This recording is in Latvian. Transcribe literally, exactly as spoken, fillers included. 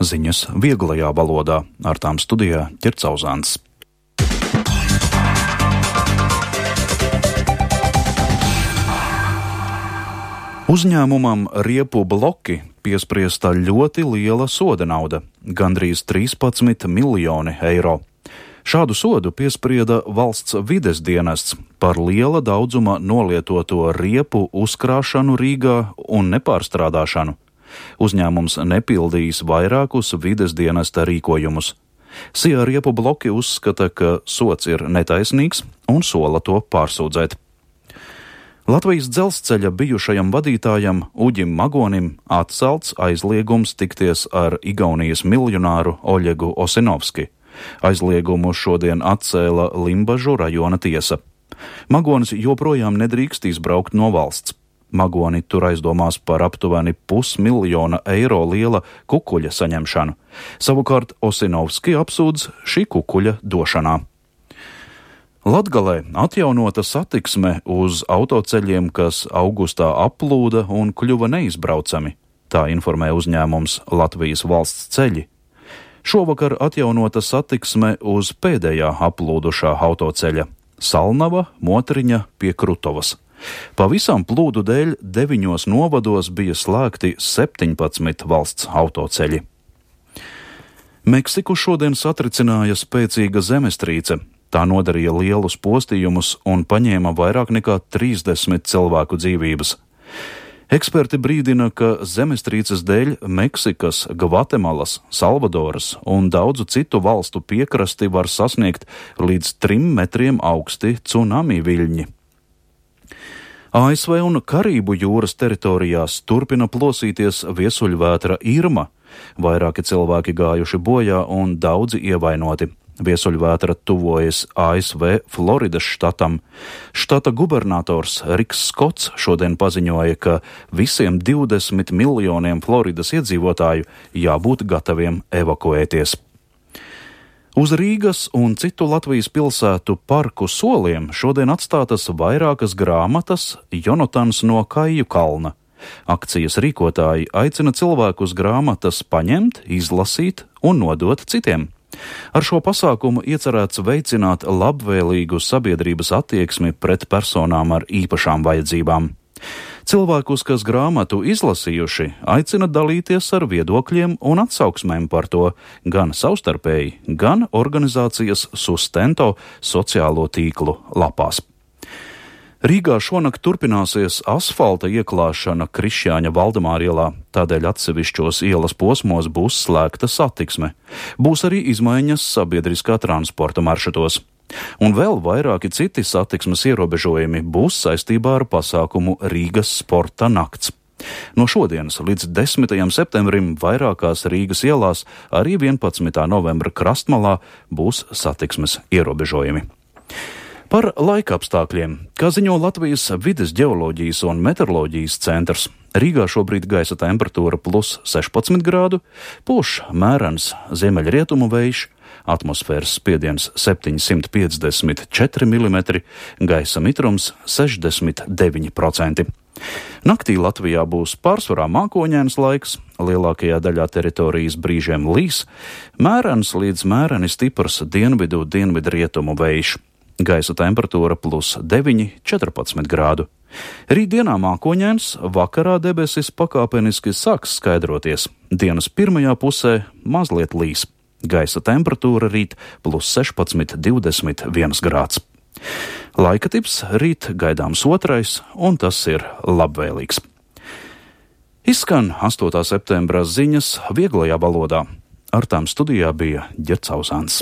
Ziņas vieglajā valodā, ar tām studijā Ķercauzāns. Uzņēmumam Riepu bloki piespriesta ļoti liela soda nauda – gandrīz trīspadsmit miljoni eiro. Šādu sodu piesprieda valsts vides dienests par liela daudzuma nolietoto riepu uzkrāšanu Rīgā un nepārstrādāšanu. Uzņēmums nepildījis vairākus vides dienesta rīkojumus. Sijā Riepu bloki uzskata, ka sods ir netaisnīgs un sola to pārsūdzēt. Latvijas dzelzceļa bijušajam vadītājam Uģim Magonim atcelts aizliegums tikties ar Igaunijas miljonāru Oļegu Osinovski. Aizliegumu šodien atcēla Limbažu rajona tiesa. Magonis joprojām nedrīkst izbraukt no valsts. Magoni tur aizdomās par aptuveni pusmiljona eiro liela kukuļa saņemšanu. Savukārt Osinovski apsūdz šī kukuļa došanā. Latgalē atjaunota satiksme uz autoceļiem, kas augustā aplūda un kļuva neizbraucami. Tā informē uzņēmums Latvijas valsts ceļi. Šovakar atjaunota satiksme uz pēdējā aplūdušā autoceļa – Salnava, Motriņa pie Krutovas. Pavisam plūdu dēļ deviņos novados bija slēgti septiņpadsmit valsts autoceļi. Meksiku šodien satricināja spēcīga zemestrīce. Tā nodarīja lielus postījumus un paņēma vairāk nekā trīsdesmit cilvēku dzīvības. Eksperti brīdina, ka zemestrīces dēļ Meksikas, Gvatemalas, Salvadoras un daudzu citu valstu piekrasti var sasniegt līdz trim metriem augsti cunami viļņi. A S V un Karību jūras teritorijās turpina plosīties viesuļvētra Irma. Vairāki cilvēki gājuši bojā un daudzi ievainoti. Viesuļvētra tuvojas A S V Floridas štatam. Štata gubernators Riks Skots šodien paziņoja, ka visiem divdesmit miljoniem Floridas iedzīvotāju jābūt gataviem evakuēties. Uz Rīgas un citu Latvijas pilsētu parku soliem šodien atstātas vairākas grāmatas Jonatans no Kaju kalna. Akcijas rīkotāji aicina cilvēkus grāmatas paņemt, izlasīt un nodot citiem. Ar šo pasākumu iecerēts veicināt labvēlīgu sabiedrības attieksmi pret personām ar īpašām vajadzībām. Cilvēkus, kas grāmatu izlasījuši, aicina dalīties ar viedokļiem un atsauksmēm par to gan savstarpēji, gan organizācijas Sustento sociālo tīklu lapās. Rīgā šonakt turpināsies asfalta ieklāšana Krišjāņa Valdemāra ielā, tādēļ atsevišķos ielas posmos būs slēgta satiksme. Būs arī izmaiņas sabiedriskā transporta maršrutos. Un vēl vairāki citi satiksmes ierobežojumi būs saistībā ar pasākumu Rīgas sporta nakts. No šodienas līdz desmitajam septembrim vairākās Rīgas ielās, arī vienpadsmitā novembra Krastmalā būs satiksmes ierobežojumi. Par laika apstākļiem, kā ziņo Latvijas vides ģeoloģijas un meteoroloģijas centrs, Rīgā šobrīd gaisa temperatūra plus sešpadsmit grādu, pūš mērens ziemeļrietumu vējš, atmosfēras spiediens septiņsimt piecdesmit četri milimetri, gaisa mitrums sešdesmit deviņi procenti. Naktī Latvijā būs pārsvarā mākoņains laiks, lielākajā daļā teritorijas brīžiem līs, mērens līdz mēreni stiprs dienvidu dienvidrietumu vējš. Gaisa temperatūra plus deviņi četrpadsmit grādu. Rītdienā mākoņains, vakarā debesis pakāpeniski sāks skaidroties. Dienas pirmajā pusē mazliet līs. Gaisa temperatūra rīt plus sešpadsmit divdesmit viens grāds. Laika tips rīt gaidāms otrais, un tas ir labvēlīgs. Izskan astotā septembra ziņas vieglajā valodā. Ar tām studijā bija Ķercauzāns.